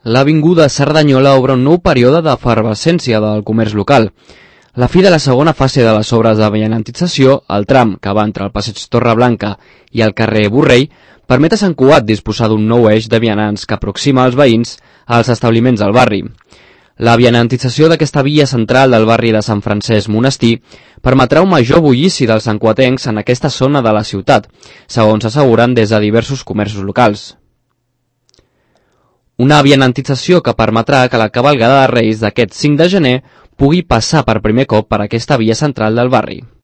L'avinguda Cerdanyola obre un nou període d'efervescència del comerç local. La fi de la segona fase de les obres de vianantització, el tram que va entre el passeig Torreblanca i el carrer Borrell, permet a Sant Cugat disposar d'un nou eix de vianants que aproxima els veïns als establiments del barri. La vianantització d'aquesta via central del barri de Sant Francesc Monestir permetrà un major bullici dels santcuatencs en aquesta zona de la ciutat, segons asseguren des de diversos comerços locals. Una vianantització que permetrà que la cavalgada de Reis d'aquest 5 de gener pugui passar per primer cop per aquesta via central del barri.